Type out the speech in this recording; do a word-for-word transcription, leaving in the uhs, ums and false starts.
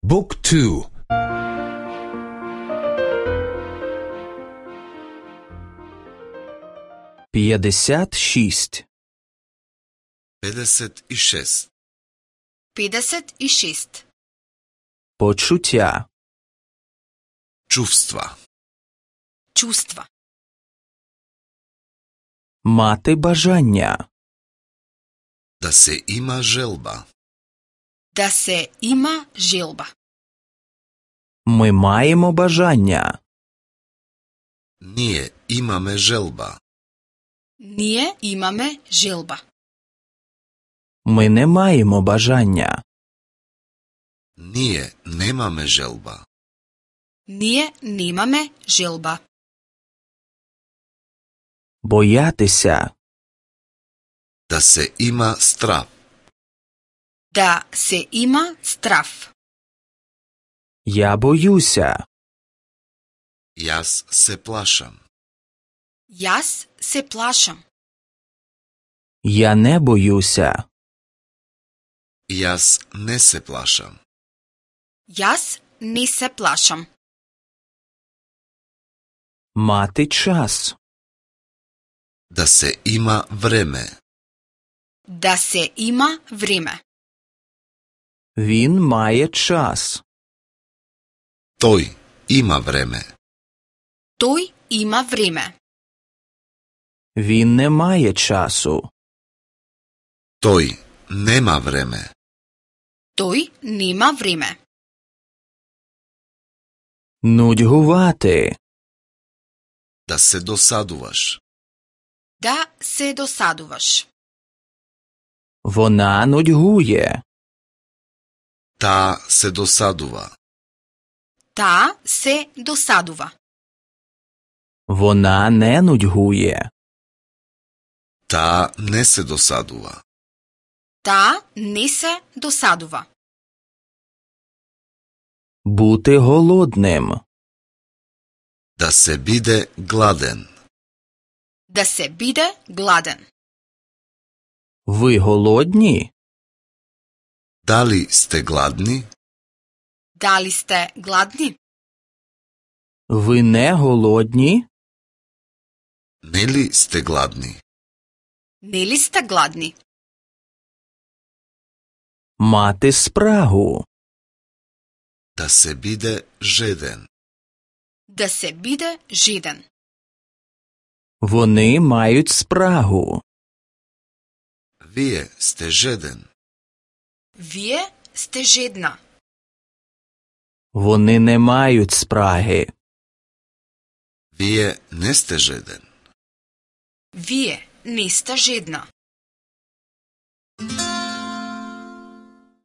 Book two. п'ятдесят шість. педесет и шест. педесет и шест. Почуття. Чувства. Чувства. Мати бажання. Да се има желба. Да се има желба. Ми маємо бажання. Ние имаме желба. Ние имаме желба. Ми не маємо бажання. Ние немаме желба. Ние немаме желба. Боятися. Да се има страв. Да се има страв. Я боюся. Јас се плашам. Јас се плашам. Я не боюся. Јас не се плашам. Јас не се плашам. Мати час. Да се има време. Да се има време. Він має час. Тој има време. Тој има време. Він не має часу. Тој нема време. Тој нема време. Нудьгувати. Да се досадуваш. Да се досадуваш. Вона нудьгує. Таа се досадува. Таа се досадува. Вона не нудьгує. Таа не се досадува. Таа не се досадува. Бути голодним. Да се биде гладен. Да се биде гладен. Ви голодні? Дали сте гладни? Дали сте гладни? Ви не голодні? Нели сте гладни? Нели сте гладни? Мати спрагу. Да се биде жеден. Да се биде жеден. Вони мають спрагу. Вие сте жеден. Вие сте жедна. Вони не мають спраги. Вие не сте жеден. Вие не сте жедна.